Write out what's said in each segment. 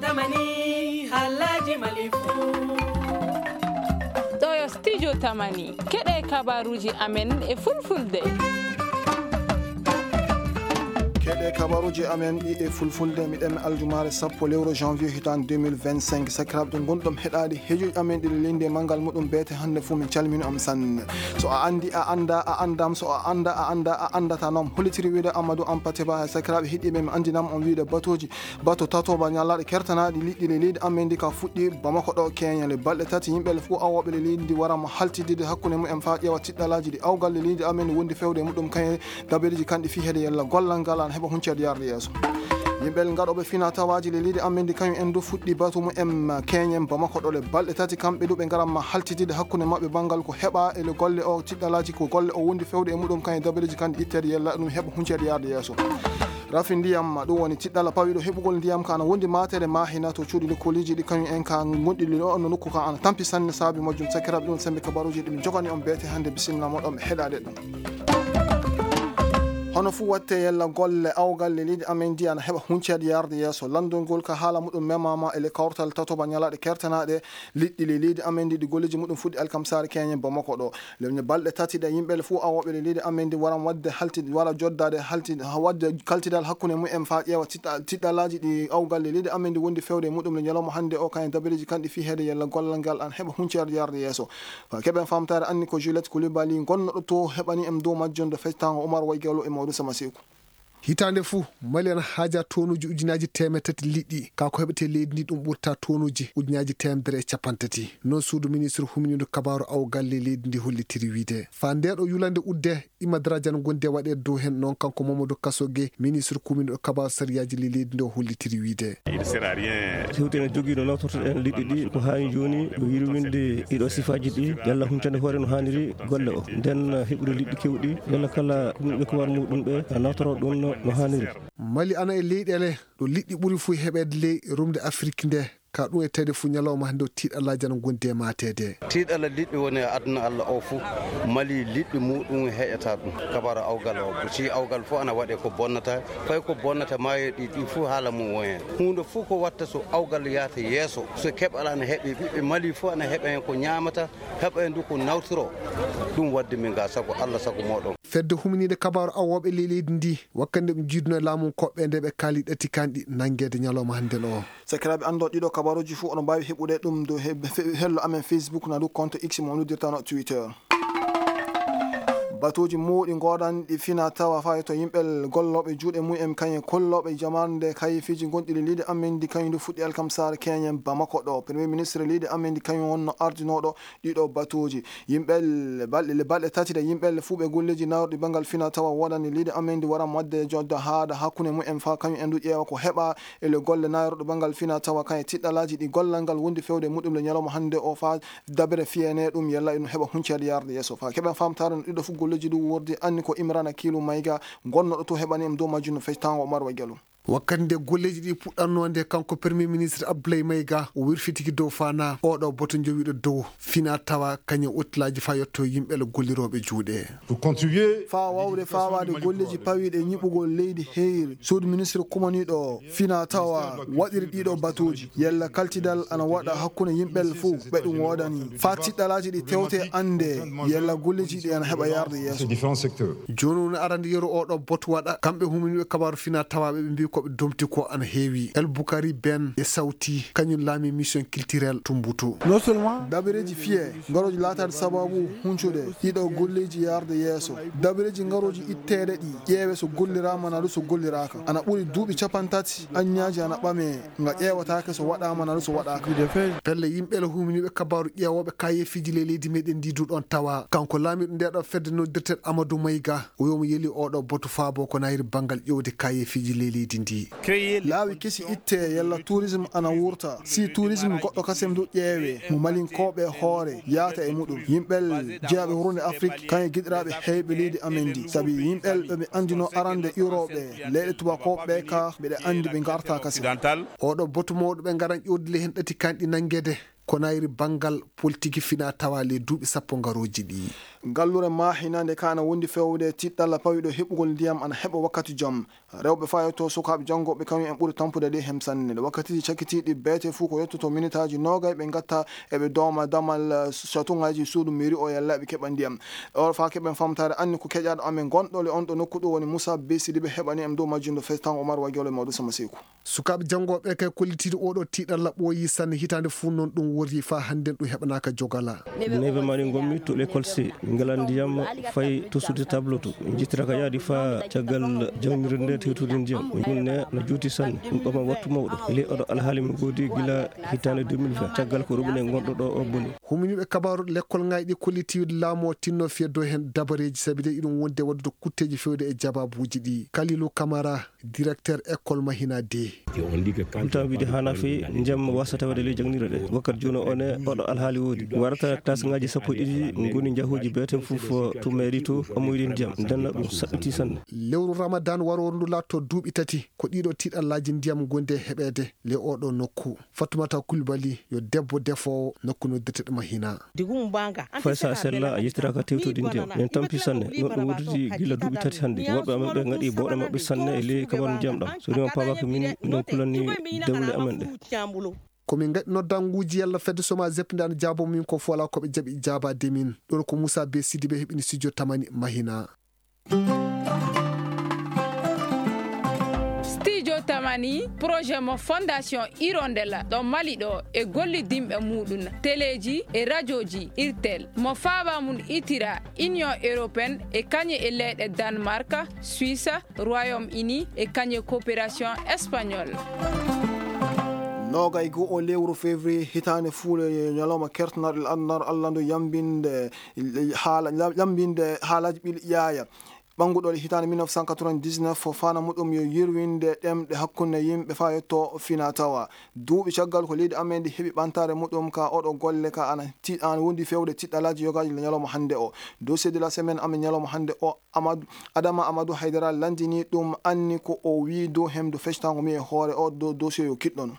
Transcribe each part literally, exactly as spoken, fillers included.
Tamani, halaji malifu. Ɗo yo studio Tamani. Keɗe kabaruji amen e fulfulde. Keɗe kabaruji amen ɗi e fulfulde, miɗen aljumaare sappo lewru janvier hitan deux mille vingt-cinq. Sakiraaɓe, ɗum gonɗum heɗaade hejuji amen ɗi linde manngal muɗum beete hannde fuu, min calmini on sanne. So a anndi, a annda, a anndam, so a annda, a annda, a anndata noon. Hollitiri wiide Amadou Ampateba, sakiraaɓe heɗiiɓe, mi anndinan on wiide batuuji bato tatoba ñalaaɗe kertanaaɗi liɗɗi le leydi amen ndi ka fuɗɗi Bamako ɗo Kenya. Le balɗe tati yimɓe le fof awooɓe le leydi ndi warama haltidde hakkunde mumen faa ƴeewa tiɗɗalaaji ɗi awgal le leydi amen ndi wondi fewde e muɗum kañe dabareeji kanɗi fii heede yalla gollal ngal ana heɓa hunceede yarde yeeso. Yimɓe le gaɗooɓe fina tawaaji le leydi amen ndi kañum en du fuɗɗi batu mumen Kenya Bamako ɗo le balɗe tati kamɓe du ɓe ngaramma haltidde hakkunde maɓɓe banngal ko heɓa e le golle o tiɗɗalaaji ko golle o wondi fewde e muɗum kañe dabareeji kanɗi itteede yalla ɗum heɓa hunceede yarde yeeso. Rafi ndiyam, ɗum woni tiɗɗala pawiiɗo heɓugol ndiyam ka ana wondi maatere Mahina to cuuɗi lekkooliji ɗi kañum en ka gonɗi ɗo no nokku ka ana tampi sanne. Saabi majjum sakiraaɓe ɗum sembe kabaruji ɗi min jogani on beete hannde. Bisimilla moɗon ɓe heɗaade ɗum. Hono fuu watte yalla golle awgal le leydi amen ndi ana heɓa hunceede yarde yeeso. Lanndol ngol ka haala muɗum memama e le kawtal tatoba ñalaaɗe kertanaaɗe liɗɗi le leydi amen ndi ɗi golleji muɗum fuɗɗi alkamsaare keñe Bamako ɗo. Lewñe balɗe tati ɗe, yimɓe le fof awooɓe le leydi amen ndi waran waɗde halti-, wara joddaade halti-, ha waɗde kaltidal hakkunde mumen faa ƴeewa tiɗɗa-, tiɗɗalaaji ɗi awgal le leydi amen ndi wondi fewde e muɗum le ñalawma hannde o, kañum dabareeji kanɗi fii heede yalla gollal ngal an heɓa hunceede yarde yeeso. Faa keɓen faamtaare anni ko Juliette Coulibaly gonnoɗo to heɓani en dow majjum do fectango Oumar Waygalo e Maodo Sama Seku. Hitaande fuu, Mali ana haaja tonuuji ujunaaji teemedde tati liɗɗi. Kaa ko heɓetee leydi ndi ɗum ɓurta tonuuji ujunaaji teemedere e cappanɗe tati. Noon suudu ministre huminiiɗo kabaaru awgal ley leydi ndi hollitiri wiide. Faa ndee ɗo yulande udde, ɗima darajana gondi e waɗeede dow heen noon kanko Mamadou Kasoge, ministre kuminiiɗo kabaaru sariyaaji ley leydi ndi o hollitiri wiide. Hewti ene jogii no nawtortoɗen liɗɗi ɗi, ko haa jooni o yurminde ɗiɗo sifaaji ɗi, yalla huncande hoore no haaniri golle o. Nden heɓude liɗɗi keewɗi, yalla kala kumniiɓe ko war muɗum ɓe, nawtoro ɗum no, no haaniri. Mali ana e leyɗeele ɗo liɗɗi ɓuri fof heɓeede ley rumde Afrik nde, ka ɗum e tawi fof ñalawma hannde o tiiɗalaaji ana ngondi e maateede. Tiiɗalla liɗɗi woni e aduna Allah o fof, Mali liɗɗi muɗum heƴata ɗum. Kabaaru awgal o, ko si awgal fof ana waɗe ko bonnata, fay ko bonnata maayo ɗi, ɗi fof haala mum won heen. Huunde fof ko watta so awgal yahata yeeso, so keɓal ana heɓe, ɓiɓɓe Mali fof ana heɓa heen ko ñaamata, heɓa heen du ko nawtoro. Ɗum wadde min ga sago Allah, sago mooɗon. Fedde huminiinde kabaaru awooɓe ley leydi ndi, wakkati nde ɓe njiiduno e laamu koɓɓe nde ɓe kaali ɗati kanɗi nanngeede ñalawma hannde o. Sakiraaɓe, anndon ɗiɗo kabaaruuji fof oɗon mbaawi heɓude ɗum dow he-, fe-, hello amen Facebook, na dow compte X mo on noddirta no Twitter. Batuuji mawɗi ngoodani ɗi fina tawa fayi to yimɓe gollooɓe juuɗe mumen kañum e kollooɓe jamarnde kayeefiiji gonɗi ley leydi amen ndi kañum ndu fuɗɗi alkamsaare keñen Bamako ɗo. Premier ministre leydi amen ndi kañum wonno ardinooɗo ɗiɗo batuuji. Yimɓe le balɗe, le balɗe tati ɗe yimɓe le fuu ɓe golleeji naawruɗi banngal fina tawa woodani leydi amen ndi wara waɗde jodda haaɗa hakkunde mumen faa kañum en du ƴeewa ko heɓa e le golle naawruɗo banngal fina tawa kañum e tiɗɗalaaji ɗi gollal ngal wondi fewde muɗum le ñalawma hannde o faa dabere fiyene ɗum yalla ino heɓa hunceede yarde yeeso. Faa keɓen faamtaare no ɗiɗo fof golleeji ɗi wordi anni ko Imrana Kiilu Mayga gonnoɗo to heɓani en dow majjum no fectango Oumar Waygalo. Wakkati nde golleeji ɗi puɗɗannoo nde, kanko Premier Ministre Abdoulaye Mayga o wirfitiki dow fana oɗo boto jowiiɗo dow fina tawa kañum ottilaaji faa yetto yimɓe le gollirooɓe juuɗe. Pour contribuer faa wawde fawaade golleeji pawiiɗe ñiɓugol leydi heyri, suudu ministre kumaniiɗo fina tawa waɗiri ɗiɗo batuuji. Yalla kaltidal ana waɗa hakkunde yimɓe le fof ɓe ɗum woodani. Faa tiɗɗalaaji ɗi tewte annde yalla golleeji ɗi ana heɓa yarde yeeso. Jooni woni arande yeru oɗo botu waɗa. Kamɓe huminiiɓe kabaaru fina tawaaɓe ɓe mbii ko ɓe domti ko ana heewi. El Bukari Ben e Sawti, kañum laami mission culturelle Tumbutu. Dabareeji fiye, ngarooji laataade sababu huncude ɗiɗo golleeji yarde yeeso. Dabareeji ngarooji itteede ɗi, ƴeewe so golliraama naa du so golliraaka. Ana ɓuri duuɓi cappanɗe tati, aññaaji ana ɓame, nga ƴeewataake so waɗaama naa du so waɗaaka. Pelle yimɓe le huminiiɓe kabaaru ƴeewooɓe kayeefiiji ley leydi meɗen ndi du ɗon tawa. Kanko laamiiɗo nde ɗo fedde noddirten Amadou Mayga, o wiyi omo yeli oɗo botu faabo ko nayri banngal ƴeewde kayeefiiji ley leydi ndi. Laawi kesi itte yalla tourisme ana wurta. Si tourisme goɗɗo kasem du ƴeewe, mo Malinkooɓe hoore yaata e muɗum. Yimɓe jeyaaɓe wuurnde Afrik, kañum e giɗiraaɓe heyɓe leydi amen ndi. Sabi yimɓe ɓe ɓe anndino arande iwrooɓe leyɗe tubakooɓe ɓe ka, ɓeɗe anndi ɓe ngarta kasem. Oɗo botu mawɗo ɓe ngaran ƴoodile heen ɗati kanɗi nanngeede. ko nayri banngal politiki fina tawa ley duuɓi sappo ngarooji ɗi. Ngallure Mahinande ka ana wondi fewde tiɗɗalla pawiɗo heɓugol ndiyam ana heɓa wakkati jam. Rewɓe faa yetto sukaaɓe janngooɓe kañum en ɓuri tampude ley hem sanne. Nde wakkatiiji cakkitiiɗi beete fuu ko yettoto minitaaji noogay ɓe ngatta eɓe dooma damal, eh, satuŋaaji suudu mairie o yalla eɓe keɓa ndiyam. O faa keɓen famtaare anni ko keƴaaɗo amen gonɗo le on ɗo nokku ɗo woni Moussa Bey Sidibé heɓani en dow majjum ɗo festango Omar Wagiola e Maodo Sama Seeku. Sukaaɓe janngooɓe kay kollitiiɗo oo ɗoo tiiɗalla ɓooyii sanne hitaande fuu noon ɗum worri faa hannden ɗum heɓanaaka jogala. Neeɓe mari ngonmi to l'école C. Min ngalaa ndiyam fay to suudu tableau to. Min njettiraka yaadi faa caggal jaŋnirde nde tewtude ndiyam. Min ne no juuti sanne. Ɗum ɓama wattu mawɗo. E ley oɗo alhaali mi goodi gila hitaande deux mille vingt. Caggal ko robinet ngonɗo ɗo o boni. Huminiiɓe kabaaru lekkolŋaaji ɗi kollitiiɗo laamu o tinno fiya dow heen dabareeji sabi de iɗum wonde waɗude kutteeji fewde e jababuuji ɗi. Kalilu Kamara, directeur école Mahina deux. Ɗum tan wiide haana feewi, ndiyam waasata waɗde ley jaŋnirɗe ɗe. Wakkati jooni o ne, oɗo alhaali woodi. Warata taasŋaaji sappo e ɗiɗi ngoni njahuuji beeten fof to mairie to, amoyri ndiyam. Ndenna ɗum saɗɗitii sanne. Lewru Ramadan warooru ndu laatto duuɓi tati, ko ɗiɗo tiiɗallaaji ndiyam ngondi e heɓeede ley oɗo nokku. Fatumata Kulbali yo debbo defoowo nokku noddirteɗo Mahina. Fay so a sella, a yettiraaka tewtude ndiyam. Min tampi sanne, noon ɗum wooditi gila duuɓi tati hannde. Worɓe amen ɓe ngaɗi bowɗe maɓɓe sanne e ley kabaru ndiyam ɗam. So ndiyam paamaaka min, minen kulanni dewle amen ɗe. Ko min ngaɗi noddanguuji yalla fedde Soma Zep nde ana jaabo min ko fola ko ɓe jaɓi jaabaade min. Ɗoon ko Moussa Bey Sidibé heɓini studio Tamani Mahina. Studio Tamani, projet mo Fondation Hirondelle ɗo Mali ɗo e gollidinɓe muuɗum, teleeji e rajooji Irtel, mo faaba mum itira Union Européenne e kañe e leyɗe Danemark, Suisse, Royaume-Uni e kañe coopération espagnole. Noogay goo o lewru février hitaande fuule ñalawma kertanaaɗo e aduna Allah ndu yambinde haala, yambinde haalaaji ɓiɗi yaaya. Ɓannguɗo e hitaande mille neuf cent quatre-vingt-dix-neuf, faandaare muɗum yo yirwinde ɗemɗe hakkunde yimɓe faa yetto fina tawa. Duuɓi caggal ko leydi amen ndi heɓi ɓantaare muɗum ka oɗo golle ka ana ti-, ana wondi fewde tiɗɗalaaji yogaaji ñalawma hannde o. Dossier de la semaine amen ñalawma hannde o, Amadou, Adama Amadou Haydara lanndini ɗum anni ko o wii dow hemdo fectango mi e hoore o dow dossier yo kiɗɗono.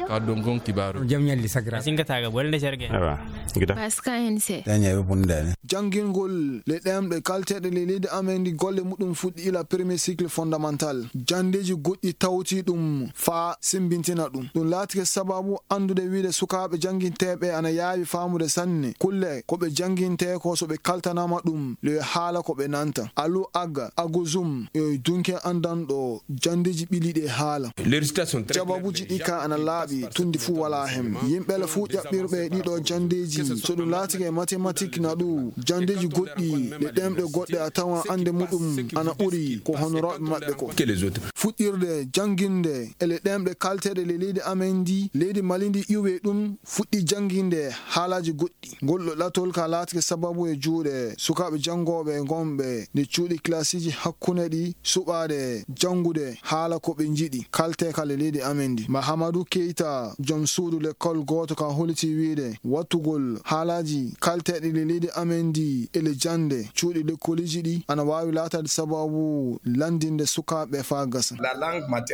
Ka ɗum kon kibaaru. Jam ñalli sakira. Singataga bolde serge. Awa. Gida. Paska hense. Daña ɓe bondaani. Janngingol le ɗemɗe kalteeɗe le leydi amen ndi golle muɗum fuɗɗi ila premier cycle fondamental. Janndeeji goɗɗi tawti ɗum faa sembintina ɗum. Ɗum laatike sababu anndude wiide sukaaɓe jannginteeɓe ana yaawi faamude sanne kulle ko ɓe janngintee ko so ɓe kaltanaama ɗum le haala ko ɓe nanta. Alu Aga, Aguzum, e dunke anndanɗo janndeeji ɓili ɗe haala. Jawabuuji ɗi ka ana laaɓi, tundi fuu walaa hen. Yimɓe le fuu ƴaɓɓirɓe ɗiɗo janndeeji, so ɗum laatike mathématique na ɗu, janndeeji goɗɗi, ɗe ɗemɗe goɗɗe a tawan annde muɗum ana ɓuri ko honorooɓe maɓɓe ko. Fuɗɗirde jannginde e le ɗemɗe kalteeɗe le leydi amen ndi, leydi Mali ndi iwee ɗum, fuɗɗi jannginde haalaaji goɗɗi. Ngol ɗo ɗatol ka laatike sababu e juuɗe sukaaɓe janngooɓe gonɓe nde cuuɗi kilasiiji hakkunde ɗi suɓaade janngude haala ko ɓe njiɗi kalte kala leydi amen ndi. Mahamadou Keita, joom suudu lekkol gooto ka holiti wiide wattugol haalaaji kalteeɗi le leydi amen ndi e le jannde cuuɗi lekkoliiji ɗi ana waawi laataade sababu lanndinde sukaaɓe faa gasa.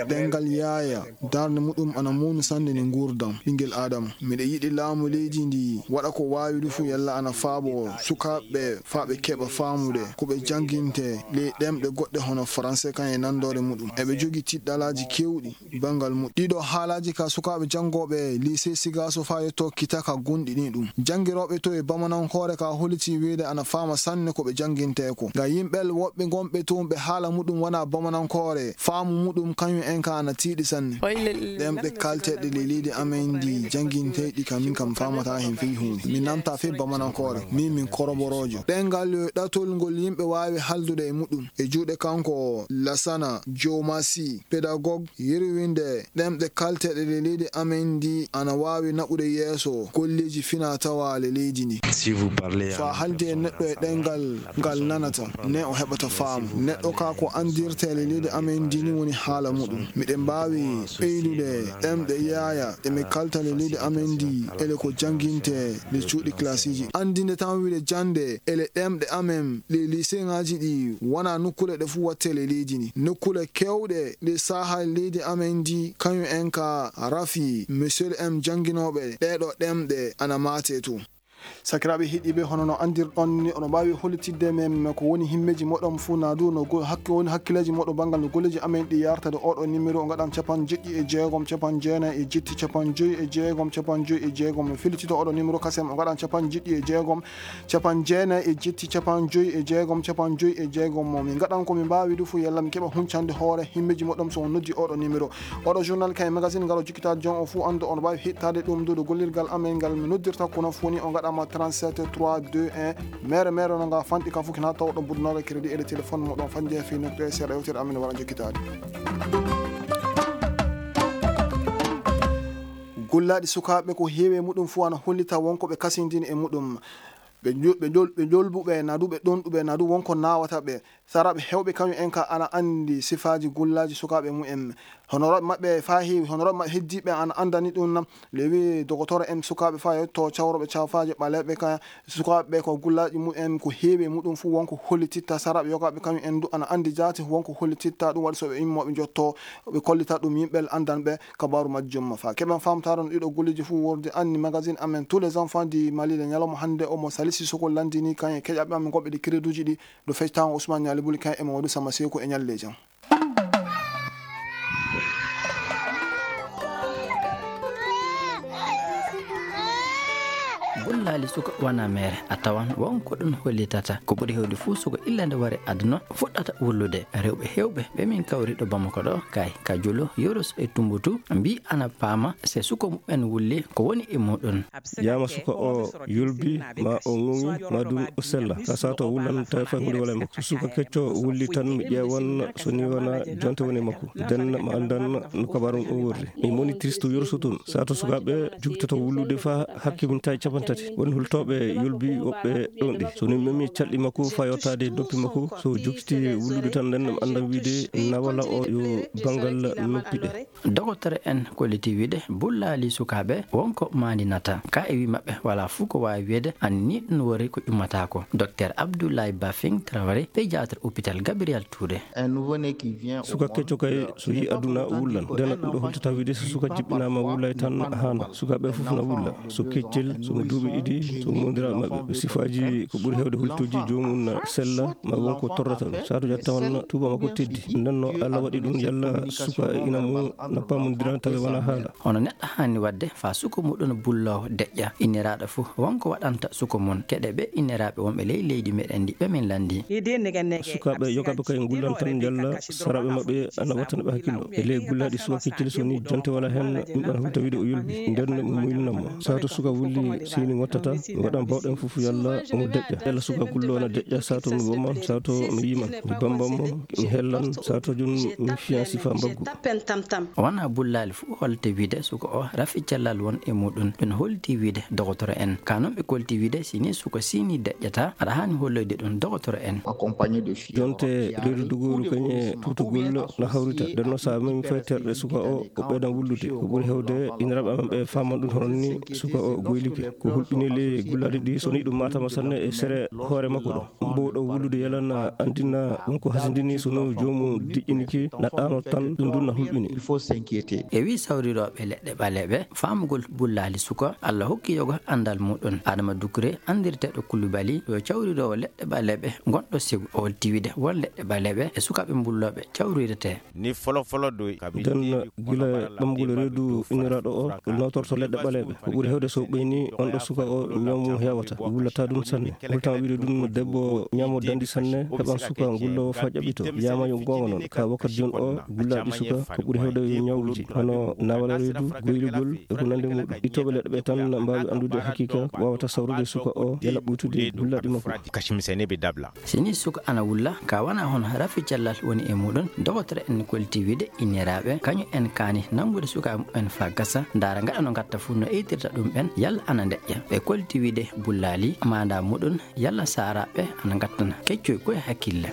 Ɗemngal yaaya darnde muɗum ana mawni sanne e nguurndam ɓinngel Aadama. Miɗo yiɗi laamu leydi ndi waɗa ko waawi ɗum fuu yalla ana faabo sukaaɓe faa ɓe keɓa faamude ko ɓe jannginte ley ɗemɗe goɗɗe hono Faranse kan e nanndoore muɗum. Eɓe jogii tiɗɗalaaji keewɗi banngal muɗum. Ɗiɗo haalaaji ka sukaaɓe janngooɓe lycée Sigaso faa yetto kita ka gonɗini ɗum. Janngirooɓe to e bamanankoore ka holiti wiide ana faama sanne ko ɓe janngintee ko. Nga yimɓe woɓɓe gonɓe toon ɓe haala muɗum wonaa bamanankoore, faamu muɗum kañum en ka ana tiiɗi sanne. Ɗemɗe kalteeɗe le leydi amen ndi janngintee ɗi kam min kam faamataa heen fii huunde. Mi nanta fii bamanankoore. Min min koroboroojo. Ɗemngal yo ɗatol ngol yimɓe waawi haaldude e muɗum. E juuɗe kanko Lasana Jomasi, pédagogue, yirwinde ɗemɗe kalteeɗe le leydi amen ndi ana waawi naɓude yeeso golleeji fina tawa le leydi ndi. Si vous parlez So a haaldi e neɗɗo e ɗemngal ngal nanata, ne o heɓata faamu. Neɗɗo ka ko anndirtee le leydi amen ndi ni woni haala muɗum. Miɗen mbaawi ɓeydude ɗemɗe yaaya ɗe mi kalta le leydi amen ndi ele ko janngintee le cuuɗi kilasiiji. Anndinde tan wiide jannde ele ɗemɗe amen le liseŋaaji ɗi wonaa nokkuule ɗe fuu waɗtee le leydi ndi. Nokkuule keewɗe ɗe sahaa leydi amen ndi, kañum en ka rafi, monsieur M jannginooɓe ɗee ɗoo ɗemɗe ana maate too. Sakiraaɓe heɗiiɓe, hono no anndirɗon ni, oɗon mbaawi hollitidde men ko woni himmeeji moɗon fuu, naa du no go-, hakke-, woni hakkileeji moɗon banngal no golleeji amen ɗi yartade oɗo numéro, o ngaɗan capanɗe jeɗɗi e jeegom, capanɗe jeenayi e jetti, capanɗe joyi e jeegom, capanɗe joyi e jeegom. No fillitito oɗo numéro kasen, o ngaɗan capanɗe jeɗɗi e jeegom, capanɗe jeenayi e jetti, capanɗe joyi e jeegom, capanɗe joyi e jeegom. Mo min ngaɗan ko min mbaawi du fuu, yalla min keɓa huncande hoore himmeeji moɗon so on noddi oɗo numéro. Oɗo journal kay magazine ngal o jikkitaade jon o fuu anndu on mbaawi hittaade ɗum du ɗo gollirgal amen ngal mi noddirta kono fuu ni o ngaɗama trente-sept trois deux un. Mere mere no nga fanɗi ka fuu kina tawɗo budnoore crédit e le téléphone mo ɗon fanje fi nokku e seeɗa yewtere amen wara jikkitaade. Gullaaɗi sukaaɓe ko heewi e muɗum fuu ana hollita wonko ɓe kasindini e muɗum. Ɓe njo-, ɓe njol-, ɓe njolbuɓe, naa du ɓe ɗonɗuɓe, naa du wonko naawata ɓe. Saraaɓe heewɓe kañum en ka ana anndi sifaaji gullaaji sukaaɓe mumen. Honorooɓe maɓɓe faa heewi, honorooɓe maɓɓe heddiiɓe ana anndani ɗum nam. Lewi dogotoro en sukaaɓe faa yetto cawroɓe cafaaje ɓaleeɓe ka sukaaɓe ko gullaaji mumen ko heewi e muɗum fuu wonko hollititta. Saraaɓe yogaaɓe kañum en du ana anndi jaati wonko hollititta. Ɗum waɗi so ɓe immoo ɓe njotto ɓe kollita ɗum yimɓe anndanɓe kabaaru majjum. Faa keɓen faamtaare no ɗiɗo golleeji fuu wordi anni magazine amen tous les enfants du Mali le ñalawma hannde omo Salisu Soko lanndini kañum e keƴaɓe amen goɗɓe ɗi crédituuji ɗi. Ɗo fectaama Ousmane Nialy Boulikin e Mamadou Samba Seko e ñalleeji am. Gullaali suka wona mere, a tawan won ko ɗum hollitata. Ko ɓuri heewde fuu suka illa nde wari aduna fuɗɗata wullude. Rewɓe heewɓe ɓe min kawri ɗo Bamako ɗo, kay, ka Jolo, Yoroso e Tumbutu, mbii ana paama se suka mumen wulli ko woni e muɗum. Yaama suka o yulbi, ma o ŋuŋi, ma dun o sella. Ka sato wullan tawi fay hunde wala e makko. So suka kecco wulli tan mi ƴeewan so ni wona jonte woni e makko. Den ma andan no kabarum ɗum worri. Mi moni triste yorso tun. Sato sukaɓe jugtoto wullude fa hakke min tawi capan tati. Won hultoɓe yulbi woɓɓe ɗon ɗi. So ni memi calɗi makko fa yottade doppi makko. So jugti wullude tan den ma andan wiide na wala o yo bangal noppi ɗe. Dogotoro en kolliti wiide bullaali sukaaɓe won ko maandinata. Ka e wi maɓɓe wala fuu ko waawi wiyeede an ni ɗum wori ko ƴummataako. Docteur Abdoulaye Bafing Traoré, pédiatre hôpital Gabriel Touré. Suka kecco kay so yi aduna wullan. Dena ɗum ɗo hultata wiide so suka jiɓɓinaama wullay tan haana. Sukaaɓe fof na wulla. So keccel, so mo duuɓi ɗiɗi, so mo wondiraa maɓɓe. Sifaaji ko ɓuri heewde hultuuji joomum na sella, ma won ko torrata ɗum. Saatu ƴetta on tuuba makko teddi. Nden no Allah waɗi ɗum yalla suka e ina mum na pamondira tawi wona haala. Hono neɗɗo haani waɗde faa suka muɗum bulloowo deƴƴa. Inniraaɗo fof won ko waɗanta suka mum. Keɗe ɓe inniraaɓe wonɓe ley leydi meɗen ndi ɓe min lanndi. Sukaaɓe yogaaɓe kay ngullan tan njalla saraaɓe maɓɓe ana wattana ɓe hakkillo. E ley gullaaɗi suka kecceli so ni jonte wala heen ɗum ɗon hulta wiide o yulbi. Nden mo muylina mo. Sato suka wulli sini wattata mi waɗan bawɗen fof yalla omo deƴƴa. Yalla suka gullo na deƴƴa sato mi woma sato mi yiman. Mi bambam mo mi hellan sato jun mi fiyan sifa mbaggu. Wona bullaali fof holte wiide suka o rafi cellal won e muɗum. Ɗum holti wiide dogotoro en. Ka noon ɓe kolti wiide sini suka sini deƴƴata aɗa haani holloyde ɗum dogotoro en. Jonte reedu dugooru kañe tutugol na hawrita. Nden no sa memi fay terɗe suka o o ɓeydan wullude. Ko ɓuri hewde iniraɓe amen ɓe faman ɗum hono ni suka o goylike. Ko hulɓini ley gullaɗi ɗi so ni ɗum matama sanne e sere hoore makko ɗo. Mbowɗo wullude yalan andina ɗum ko hasindini so no joomum diƴƴiniki na ɗano tan ɗum ɗum na hulɓini. E wi sawrirooɓe leɗɗe ɓaleeɓe, faamugol bullaali suka, Allah hokki yoga anndal muɗum. Adama Dukure, anndirteeɗo Kulubali, yo cawriroowo leɗɗe ɓaleeɓe gonɗo Segu. O holti wiide won leɗɗe ɓaleeɓe e sukaaɓe bullooɓe cawrirete. Den gila ɓamgol reedu inniraaɗo o, nawtorto leɗɗe ɓaleeɓe. Ko ɓuri hewde so ɓeyni on ɗo suka o, ñaw mum heewata, wullata ɗum sanne. Hultama wiide ɗum debbo ñaamo dandi sanne, heɓan suka ngullowo fa ƴaɓɓito. Yama yo goonga noon, ka wakkati jooni o, gullaaɗi suka, ko ɓuri hewde yo ñawluji, hono nawal reedu, goylugol, e ko nandi muɗum. Ittooɓe leɗɗe ɓe tan mbaawi anndude haqiqa, wawata sawrude suka o, yala ɓuytude gullaaɗi makko. Sini suka ana wulla, ka wona hono rafi cellal woni e muɗum, dogotoro en kolti wiide inniraaɓe, kañum en kaani nanngude sukaaɓe mumen fa gasa, ndaara ngaɗa no ngatta fuu no eytirta ɗum ɓen, yalla ana deƴƴa. Ɓe kolti wiide bullaali, maanda muɗum, yalla saaraaɓe ana ngattana keccoy koye hakkille.